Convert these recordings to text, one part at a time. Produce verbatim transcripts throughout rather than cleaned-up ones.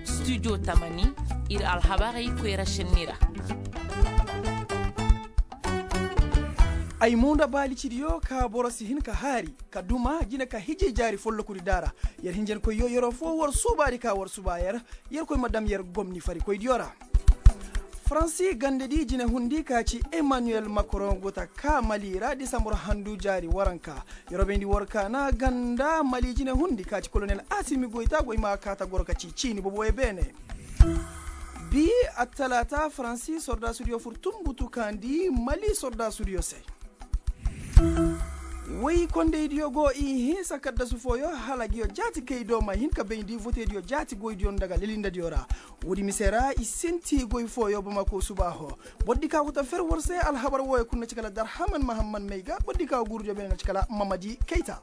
Studio tamani, ir alhabarey koyra šenni ra. Ay mo nda baalicidiyo ka boro si hin ka haari ka duma jine ka hijay jaari follokudi daara. Yer hinjankoyyo yeroo foo war suubaadi ka war suuba yer. Yerkoy ma dam yer gomni farikoydiyo ra. Faransi gandedi jinehundi ka ci emmanuel macron go ta kaa mali ra disambar handu jaari waranka. Yer wo bayndi war kaana ganda mali jinehundi ka ci kolonel asimi goyta goy ma kaa ta goro ka ci ciini boboyo beene. Bi attalaata faransi sordaasudiyo fur tumbutu kaandi mali sordaasudiyo se. Woy kondeydiyo go i hinsa kaddasu fooyo hala ngiyo jaati kay do ma hin ka bayndi votediyo jaati goydiyo nda ga lelindadiyo ra. Woodi mise ra i sinti goy fooyo bamako subaaho. Bordi ka go ta fer war se alhabar wooyo kul na ci kala darhaman mahamman may ga bordi ka go guurudiyo beene na ci kala mamadi kayta.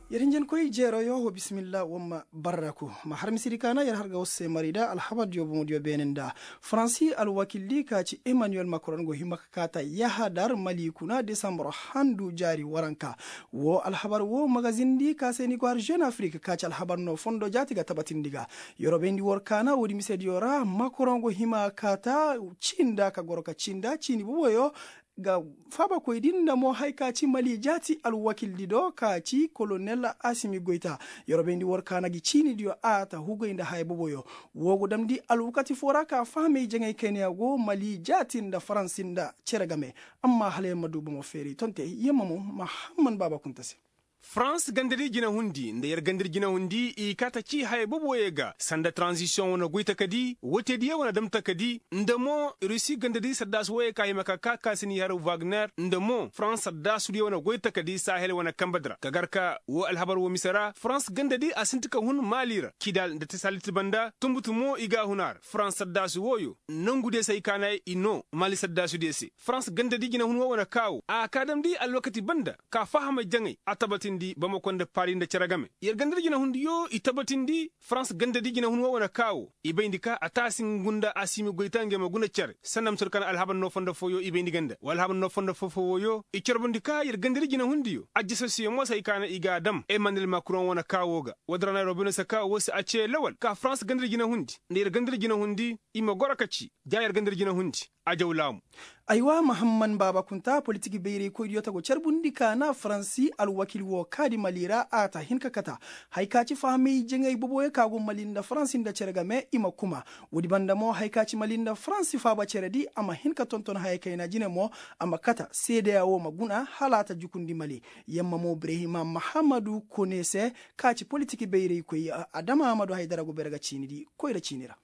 Yer hinjankoy jeeroyo wo bisimilla wamma barraku ma har misiri kaana yer har ga war se mari nda alhabardiyo bomodiyo beene nda. Faransi alwakildi ka ci emmanuel macron go hima ka kaata yahadar mali kuna desambar handu jaari waranka. Wo alhabar wo magazindi ka se ni go har jeune afrique ka ci alhabar no fondo jaati ga tabatindi ga. Yer wo bayndi war kaana woodi misediyo ra macron go hima kaata cinda ka goro ka cinda ciini boboyo. Ga faabakoydi nda mo haya ka ci mali jaati alwakildi do ka ci kolonel asimi goyta. Yer wo bayndi war kaana gi ciinidiyo a ta hugay nda haya boboyo. Wo go damndi alwakati foo ra ka fahamay jaŋay kayna ya go mali jaati nda faransi nda cere game. Amma hala yer ma du bomo feeri tonte yer ma mo mahamman baaba kunta se. Farans gandadi jinehundi nda yer gandadi jinehundi i kaa ta ci haya boboyo ga sanda taranzisiyoŋ wane goy takadi wootediyo wane dam takadi nda mo rusi gandadi saddaasu wooyo ka hima ka kaa ka si n'i har wagner nda mo farans saddaasudiyo wane goy takadi sahel wane kambadi ra ka gar ka woo alhabar woo mise ra farans gandadi a sinti ka hun maali ra kidal nda tesalit banda tunbutu mo i g'a hun a ra farans saddaasu wooyo nongudiyo se ay kaana i noo maali saddaasudiyo se farans gandadi jinehun woo wane kaa woo a kaa damndi alwakati banda ka fahamay jaŋay a tabatindi bamako nda paari nda cere game yer gandadi jinehundiyo i tabatindi farans gandadi jinehun woo wane kaa woo i bayndi ka a taasi ngu nda asimi goyta ngey ma guna cere sanda mise woo kaŋ alhabar noo fondo fooyo i bayndi ga nda wa alhabar noo fondo foo foo wooyo i carbundi ka yer gandadi jinehundiyo ajjasasiyo mo se ay kaana i g'a dam emmanuel macron wane kaa woo ga woodi ra na yer woo bayndi se ka woo se a cee lawal ka farans gandadi jinehundi nda yer gandadi jinehundi i ma goro ka ci ja yer gandadi jinehundi. Ajaw laamu. Aywa mahamman baaba kunta politik bayraykoydiyo ta go carbundi ka na faransi alwakil woo kaadi mali ra a ta hin ka kata. Haya ka ci fahamay jaŋay boboyo ka go mali nda faransi nda cere game i ma kuma. Woodi banda mo haya ka ci mali nda faransi faaba ceredi a ma hin ka tonton haya kayna jine mo a ma kata seedeya woo ma guna hala a ta jukundi mali. Yamma mo birehima mahamadu kone se ka ci politik bayraykoy adama amadu haydara go bere ga ciinidi koyra ciini ra.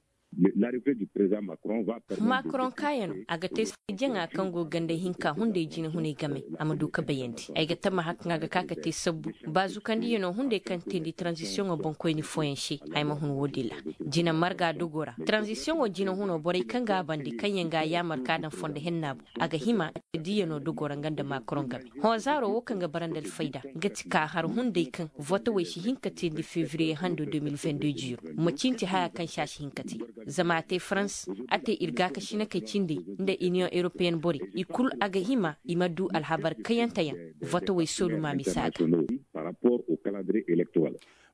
Macron kaayano a ga te jaŋa kaŋ go ganda hinka hunday jinehunay game a ma du ka bayandi ay ga tammaha kaŋ a ga ka ka te sabbu baazukandiyanoo hunday kaŋ teendi taranzisiyoŋo boŋkoyni fooyaŋ se. Ay ma hun woodin ra jine marga dogoo ra taranzisiyoŋo jinehunoo borey kaŋ ga a bandi kaŋyaŋ ga a yaamar ka a daŋ fondo henna boŋ a ga hima diyanoo dogoo ra nga nda macron game. Hõ zaaroo woo kaŋ ga bara nda alfayda nga ti ka har hunday kaŋ votowey si hin ka teendi febriye hando deux mille vingt-deux jiiro. Ma cinti haya kaŋ se a si hin ka te zama a te farans a te ir gaakasinakey cindey nda iniyoŋ europeyen borey i kul a ga hima i ma du alhabar kayanteyaŋ. Votowey soolumaami se a ga.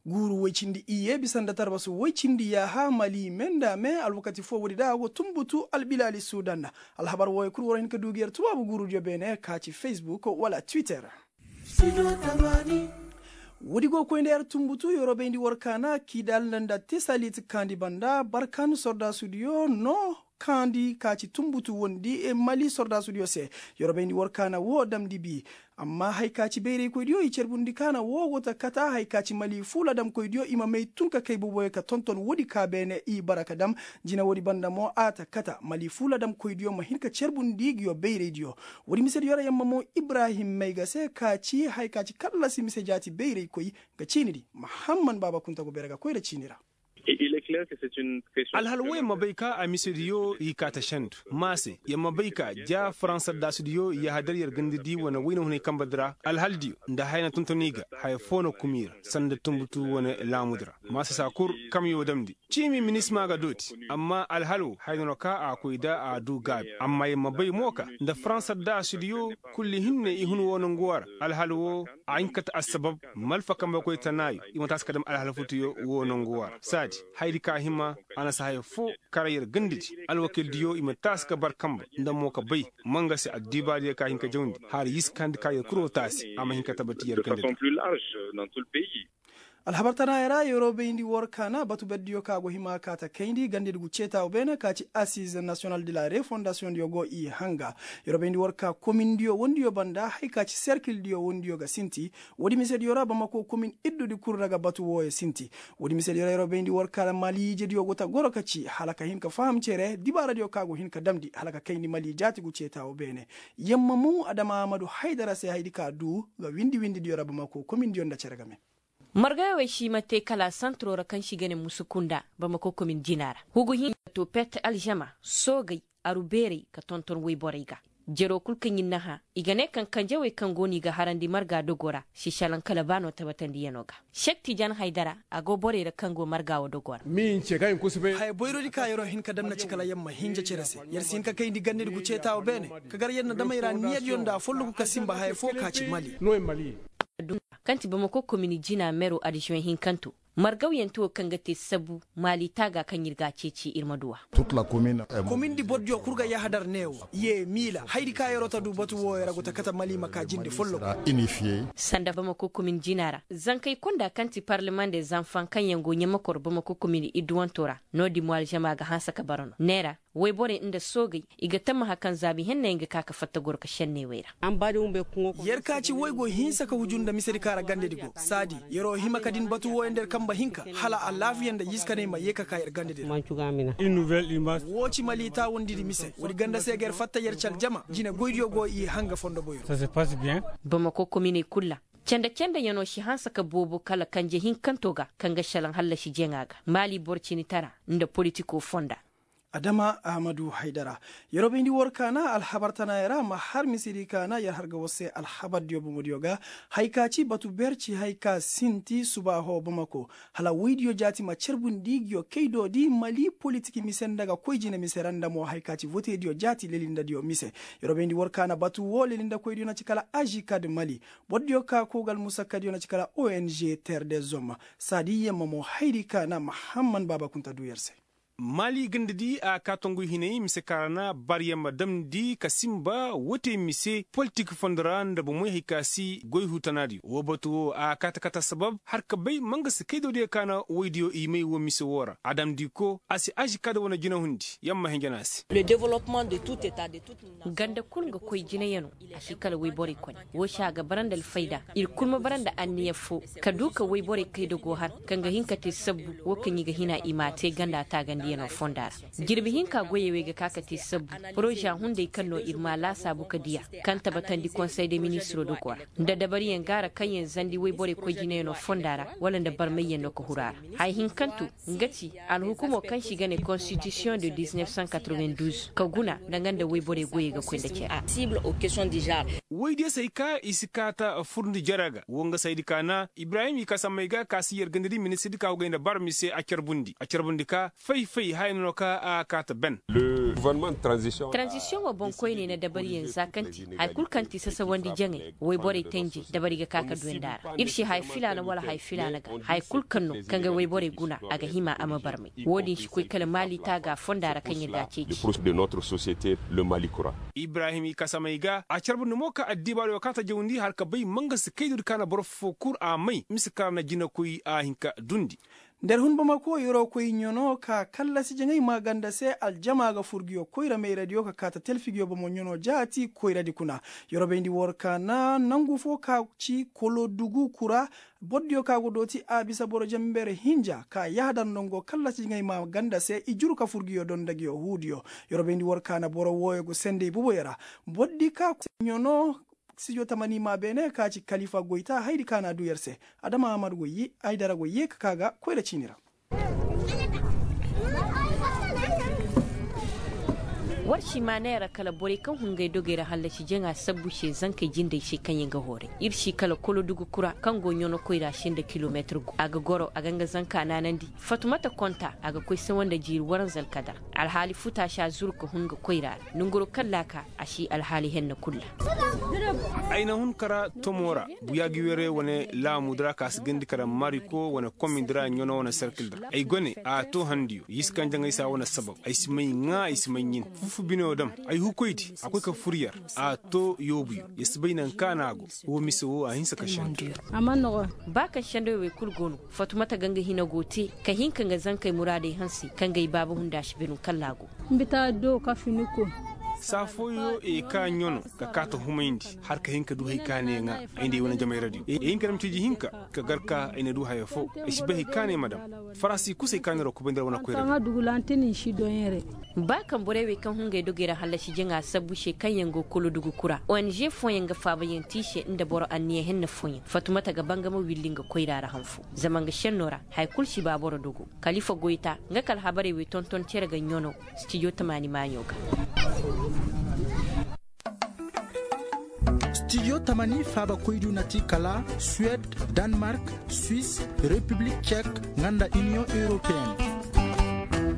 Guuru woy cindi iyye bisa nda tarbasu woy cindi yaaha mali me nda me alwakati foo woodi da a go tunbutu albilaali suudan. Alhabar wooyo kul war hin ka du gi yer tubaabu guurudiyo beene ka ci facebook wala twitter. Woodi go koy nda yer tunbutu yer wo bayndi war kaana kidal nda tesalit kaandi banda barkan sordaasudiyo no kaandi ka ci tunbutu wondi mali sordaasudiyo se. Yer wo bayndi war kaana woo damndi bi. Amma haya ka ci bayraykoydiyo i carbundi kaana woo go ta kata haya ka ci mali fuula damkoydiyo i ma may tun ka kay boboyo ka tonton woodi ka beene i bara ka dam. Jina woodi banda mo a ta kata mali fuula damkoydiyo ma hin ka carbundi nguyo bayraydiyo. Woodi misediyo ra yamma mo ibrahim mayga se ka ci haya ka ci kallasi mise jaati bayraykoy. Nga ciinidi mahamman baaba kunta go bere ga koyra ciini ra. Alhal woy ma bay ka a misediyo i kaa ta sendu maase yer ma bay ka ja faransa daasudiyo yahadar yer gandadi wane wayna hunay kambadi ra alhaldiyo nda haya na tonton i ga haya foo na kuma i ra sanda tunbutu wane laamudi ra. Maasasa kul kamyo damndi ciimi minisma ga dooti. Amma alhal wo haya no ka a koy da a du gaabi amma yer ma bay mo ka nda faransa da sudiyo. Kulli hinne i hun woo nangu woo ra. Alhal woo a hin ka ta assabab malfa kambe koy tanaayo i ma taasi ka dam alhal futuyo woo nangu woo ra saadi. Hayadi ka hima a na si haya foo kara yer gandadi alwakildiyo i ma taasi ka bar kambe nda mo ka bay. Ma nga se addibaadiyo ka hin ka jawndi har yiskandi ka yer kul woo taasi a ma hin ka tabati yer gandadi. Alhabar tanaayey ra yeroo bayndi war ka na batu berdiyo ka go hima ka ta kayndi gandedi gu ceetaawo beene ka ci asiize nasiyonal de la refondasiyoŋ diyo go i hanga. Yeroo bayndi war ka komindiyo wondiyo banda haya ka ci serkildiyo wondiyo ga sinti. Woodi misediyo ra bamako komin iddudi kul ra ga batu wooyo sinti. Woodi misediyo ra yeroo bayndi war ka na mali ijediyo go ta goro ka ci hala ka hin ka faham cere dibaaradiyo ka go hin ka damndi hala ka kayndi mali jaati gu ceetaawo beene. Yamma mu adama ahamadu haydara se hayadi ka duu ga windi-windidiyo ra bamako komindiyo nda cere game. Margawey wey si ma te kala santiroo ra kaŋ si ga ne musuku nda bamako komin jina ra hugu hinka to pet alžama soogey aru beerey ka tonton woyborey ga. Jeroo kul kaŋ ir na hã i ga ne kaŋ kanjawey kaŋ go no i ga harandi marga dogoo ra si šalaŋ kala ba no tabatandiyanoo ga. Sekti jan haydara a go borey ra kaŋ go marga wo dogoo ra. Haya boyrodi ka yeroo hin ka dam na ci kala yamma hinja cere se yer si hin ka kayndi gandedi gu ceetaawo beene ka gar yer na damey ra niyadiyo nda folloku ka sinba haya foo ka ci mali. Kaŋ ti bamako komini jina mero adžuwen hinkanto margawyanti wo kaŋ ga te sabu maali taaga kaŋ ir ga a ceeci ir ma du a. Komindi bordiyo kul ga yahadar neewo yee miila hayadi ka yeroo ta du batu wooyo ra go ta kate mali ma ka jinde folloku. Sanda bamako komini jina ra zankey konda kaŋ ti parleman de zanfaŋ kaŋ yaŋ go ɲamakor bamako komini idduwanto ra. No-din mo alžama ga hanse ka bara no neera woyborey nda soogey i ga tammaha kaŋ zaabi henna yaŋ ga ka ka fatta goro ka šenney wey ra. Yer ka ci woy go hinsa ka huju nda misedi kaŋ ra gandedi go saadi yeroo hima ka din batu wooyo nda yer kambe hinka hala alaafiya nda yiskaney ma yee ka ka yer gandedi ra. Woo ci mali taawandidi mise woodi ganda se ga yer fatta yer ci aljama jine goydiyo go i hanga fondo boyro. Bamako kominey kul ra canda-candayanoo si hanse ka boobo kala kanje hinkanto ga kaŋ ga šelaŋ hallasi jaŋa ga maali boro cinitara nda politikoo fonda. Adama ahamadu haydara. Yeroo bayndi war ka na alhabar tanaayey ra ma har misedi ka na yer har ga war se alhabardiyo bomodiyo ga. Hay ka ci batu ber ci hay ka sinti subaaho bamako hala woydiyo jaati ma carbundi nguyo kaydoodi mali politik mise nda ga koy jine mise ra nda mo hay ka ci votediyo jaati lelindadiyo mise. Yeroo bayndi war ka na batu woo lelindakoydiyo na ci kala ažikad mali borodiyo ka koo ga almusakkadiyo na ci kala ong ter de zom. Saadi yamma mo hayadi ka na mahamman baaba kunta duu yer se. Maali gandadi a kaa tongu hinay mise kaŋ ra na bar yamma damndi ka sinba woo te mise politik fondo ra nda bomey hay ka si goy huu tanaadiyo woo batu woo a kaa ta kate assabab har ka bay ma nga si kaydoodiyo ka na woydiyo i may woo mise woo ra a damndi ko a si ažikad wane jinahundi yamma hinja no a se. Ganda kul nga koy jinayano a si kala woyborey kone. Woo se a ga bara nda alfayda ir kul ma bara nda anniya foo ka duu ka woyborey kayda go har kaŋ ga hin ka te sabbu woo kaŋ i ga hina i m'a te ganda taagandiyano fonda ra. Jirbi hinka goyey wey ga ka ka te sabbu poroza hunday kaŋ no ir m'a laasaabu ka diya kaŋ tabatandi konsey de ministiroo dogoo ra nda dabariyaŋ ga a ra kaŋ yaŋ zandi woyborey koy jinayano fonda ra wala nda barmayyaŋ no ka huru a ra. Haya hinkanto nga ti alhukumoo kaŋ se i ga ne konstitisiyoŋ de diz neef san katreven duuz ka guna nda nga nda woyborey goyey ga koy nda cere. Woydiyo se ay ka i si kaa ta furndi jere ga woo nga se ay di ka na ibrahim i ka sammey ga ka si yer gandadi ministirdi ka go gay nda bar mise a carbundi a carbundi ka fay-fay haya no ka a kaa ta ben. Taranzisiyoŋo boŋkoyney na dabariyaŋ za kaŋ ti haya kul kaŋ ti sasawandi jaŋay woyborey tenjey dabari ga ka ka duwandi a ra ir si haya filaana wala haya filaana ga haya kul kaŋ no kaŋ ga woyborey guna a ga hima a ma barmay. Woo din si koy kala maali taaga fonda ra kaŋ ir ga a ceeci. Ibrahim i kasamey ga a carbundi mo ka addibaadiyo kaŋ a ta jawndi hala ka bay ma nga si kaydu di kaŋ a na boro foo kul a may mise kaŋ ra na jinakoy a hin ka dundi. Nda yer hun bamako yeroo koy ɲano ka kallasi jaŋay maaganda se aljama ga fur nguyo koyra mayradiyo ka kaa ta talfi nguyo bomo ɲano jaati koyradi kuna. Yeroo bayndi war ka na nangu foo ka ci kolodugu kura. Bordiyo ka go dooti a bisa boro jember hinja ka yahadar nongo kallasi jaŋay maaganda se i juru ka fur nguyo donda nguyo huudiyo. Yeroo bayndi war ka na boro wooyo go sendey boboyo ra. Bordi ka ɲano sijo tamani ma beene ka ci kalifa goyta haydi ka na a du yer se. Adama ahamadu go yee haydara go yee ka kaa ga koyra ciini ra. War si maa neera kala borey kaŋ hungay dogey ra hallasi jaŋa sabbu se zankey jindey se kaŋ yaŋ ga hooray ir si kala kolodugu kura kaŋ go ɲono koyra se nda kilomeetir gu a ga goro a ga nga zanka naanandi. Fatumata konta a ga koy sawa nda jiiri waranza alkadar. Alhaali futa si a zuru ka hun ga koyra ra nongoro kaŋ laaka a si alhaali henna kul ra. Ay na hun kara tomo ra buyaagi were wane laamu dira ka si gandi kara mariko wane komin dira ɲono wane serkil dira ay gone a to handiyo yisi kaŋ jaŋay sa wane sabab ay si may ŋaa ay si may ɲin fufu bino dam ay hukoydi a koy ka fur yar a to yoobuyo ya si bay naŋ kaŋ a na a go. Wo mise wo a hinsa ka sendo. Ba kaŋ sendoy wey kul go no fatumata ga nga hina go te ka hin ka nga zankey muraadey hanse kaŋ ga ay baaba hunda si binu kalla go. Mbita do ka fini ko. Saa fooyo e ka ɲono ka kaa ta humayndi har ka hin ka du hay ka ne ŋaa ay nda ay wane jamay radiyo e hin ka dam ciiji hinka ka gar ka ay na du haya fo ay si bay hay ka ne ma dam. Faransi kusay ka ne ra kubay nda ra wane koy radiyo. Ba kaŋ borey wey kaŋ hungay dogey ra hallasi jaŋa sabbu se kaŋ yaŋ go kolodugu kura ong fooyaŋ ga faabayaŋ te i se nda boro anniya henna fooyaŋ fatumata ga bangama willi nga koyra ra han fo zama nga senno ra haya kul si ba boro dogo. Kalifa goyta nga ka alhabarey wey tonton cere ga ɲono. Stijo tamaani maaɲo ga. Stijo tamaani faabakoydiyo na ti kala suwed, danmark, swis, repiblik cek, nga nda iniyoŋ europeyenne.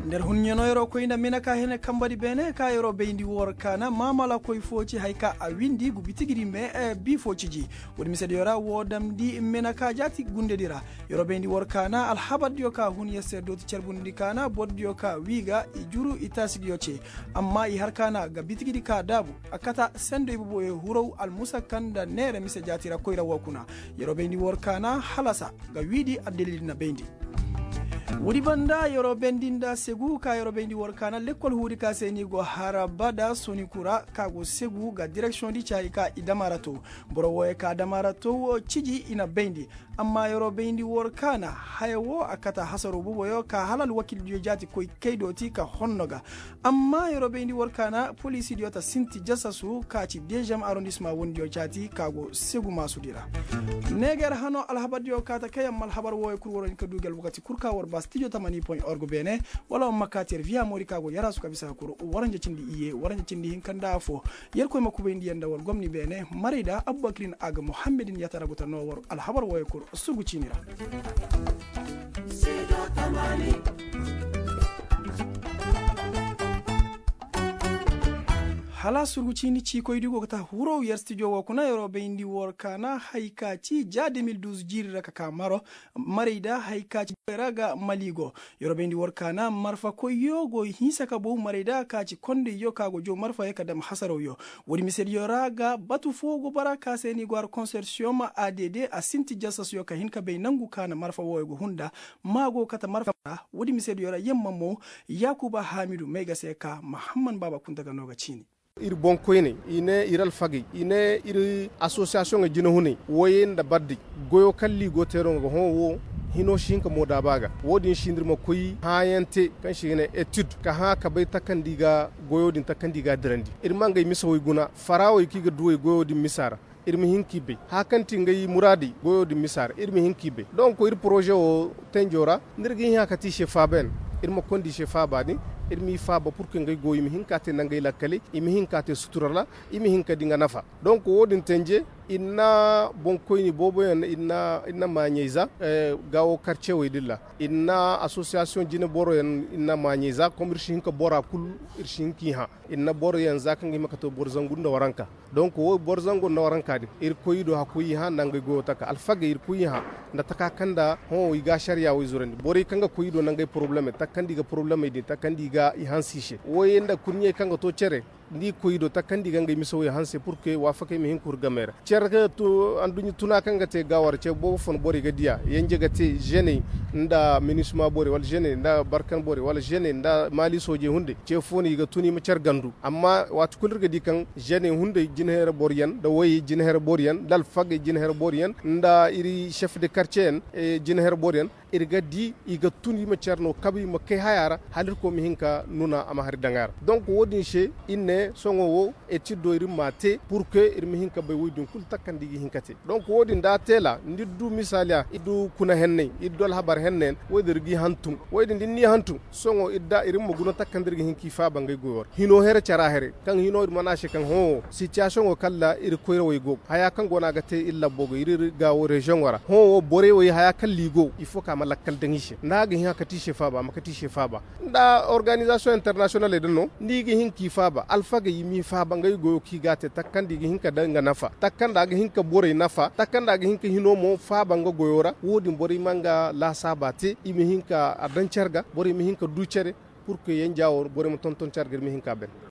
Nda ir hun ɲano yeroo koy nda mina ka hene kambadi beene ka yeroo bayndi war kaana maamala koy fo ci haya ka a windi gu bitigidi me. Bi fo ciji woodi misediyo ra woo damndi mina ka jaati gundedi ra. Yeroo bayndi war kaana alhabardiyo ka hun yer se dooti cerbundidi kaana bordiyo ka wii ga i juru i taasidiyo ce. Amma i har kaana ga bitigidi ka daabu a kata sendo iboboyo huraw almusa kaŋ nda neera mise jaati ra koyra woo kuna. Yeroo bayndi war kaana halasa ga wiidi addalil na bayndi. Woodi banda yeroo bayndi nda segu ka yeroo bayndi war kaana lekkol huudi ka se ni go haraba da soniku ra ka go segu ga direksiyoŋ di caayi ka i dama ra to. Boro wooyo ka dama ra to ciji i na bayndi. Amma yeroo bayndi war kaana haya woo a kata hasaroo boboyo ka hala alwakildiyo jaati koy kay dooti ka honno ga. Amma yeroo bayndi war kaana poliisidiyo ta sinti jasasu ka ci deziyem arondisma wondiyo caati ka go segu maasudi ra. Neeger hano alhabardiyo kaa ta kay amma alhabar wooyo kul war hin ka du gi alwakati kul ka war ba stijo tamani point org beene. Wala war ma kaa ti yer viya moori ka go yaraasu ka bisa ka kul waranja cindi iyye waranja cindi hinka nda affoo. Yerkoy ma kubayndi yer nda war gomni beene marayda abubakirin a ga muhammedin yatara go ta noo war alhabar wooyo kul. Surgu ciini ra. Hala surgu ciini ciikoydi go ga ta huraw yer stijo woo kuna yeroo bayndi war kaana hay ka ci ja de mil duuz jiiri ra ka kaa maro. Marayda hay ka ci ra ga mali go. Yeroo bayndi war kaana marfakoyyo go hinsa ka bow marayda ka ci kondayyo ka go jow marfayo ka dam hasarawyo. Woodi misediyo ra ga batu foo go bara ka se ni go har konsorsiyoŋ ma add a sinti jasasyo ka hin ka bay nangu ka na marfa wooyo go hun nda. Maa go kate marfa ra. Woodi misediyo ra yamma mo. Yaakuba haamidu may ga se ka mahamman baaba kunta ga no ga ciini. Ir boŋkoyney, i ne ir alfagey, i ne ir asosiyasiyoŋey jinehuney wooyey nda baddey. Goyo kaŋ liigoo teeraŋo ga hõ woo, hinoo si hin ka moodaaba ga. Woo din si nda ir ma koy hãayaŋ te kaŋ se i ga ne etid ka hã ka bay takandi ga goyo din takandi ga a dirandi. Ir ma ngey misawey guna faraawey kaŋ i ga duwey goyo din misa ra. Ir ma hin k'i bay haya kaŋ ti ngey muraadey goyo din misa ra ir ma hin k'i bay donk ir poroze woo tenjo ra. Nda ir ga hin haya ka te i se faabayaŋ ir ma konda i se faaba din. Ir m'i faaba purke ngey goyo i ma hin k'a te nda ngey lakkaley i ma hin k'a te sutura ra. I ma hin ka di nga nafa. Donk woo din tenje ir na boŋkoyni booboyaŋ ir na maaɲey za. Gaawo karcewey din ra ir na asosiyasiyoŋ jineboroyaŋ ir na maaɲey za kom ir si hin ka bora kul ir si hin k'i hã. Ir na boroyaŋ za kaŋ ga hima ka to boro zangu nda waranka. Donk woo boro zango nda waranka din ir koy i do hakkoy i hã nda ngey goyo taka alfagey ir koy i hã. Nda taka kaŋ nda hõ i ga ašariya wo i zurandi borey kaŋ ga koy i do nda ngey porobulemey taka kaŋ nda i ga porobulemey din taka kaŋ nda i ga i hanse i se wooyey nda kurɲey kaŋ ga to cere. Nda i koy i do taka kaŋ nda i ga ngey misawey hanse purke waafakey ma hin ka huru gamey ra. Cere kaŋ to anduɲɲa tuna kaŋ ga te gaawara ce boobo foo no borey ga diya yanje ga te ženey nda minisima borey wala ženey nda barkan borey wala ženey nda maali soojey hunday. Ce foo no i ga tun i ma cere gandu amma waati kul ir ga di kaŋ ženey hunday jinahera boroyaŋ nda woyey jinahera boroyaŋ nda alfagey jinahera boroyaŋ nda ir šef de karceyaŋ jinahera boroyaŋ. Ir ga di i ga tun i ma cere no kabe i ma kay haya ra hala irkoy ma hin ka nuna a ma hari daŋ a ra. Donk woo din se ir ne. Sohõ wo etid do ir mma te pur ke ir ma hin ka bay woy din kul takandi i ga hin ka te. Donk wo- din da a teela nda ir du misaaliya ir du kuna henney ir du alhabar henneyaŋ, wo- din ir g'i hantum. Wo- din da ir n'i hantum, sohõ ir da ir ma guna takandi ir ga hin k'i faaba ngey goyo ra hino here cara here, kaŋ hino ir mana se kaŋ hõ wo sitiyasiyoŋo kaŋ ra ir koyrawey go haya kaŋ go no a ga te ir labbo go ir ir ga wo reziyoŋo ra hõ wo borey wey haya kaŋ ra i go ifo kaŋ a ma lakkal daŋ i se nda a ga hin a kate i se faaba a ma kate i se faaba. Nda organizasiyoŋ internasiyonaley din no nda i ga hin k'i faaba alfagey i m'i faaba ngey goyo kaŋ i g'a te takandi i ga hin ka daŋ nga nafa takandi a ga hin ka borey nafa takandi a ga hin ka hino mo faaba nga goyo ra wo- din borey ma nga laasaaba te i ma hin ka a daŋ care ga borey ma hin ka du care. Pur ke yenja wo borey ma tonton care ga ir ma hin ka a ban.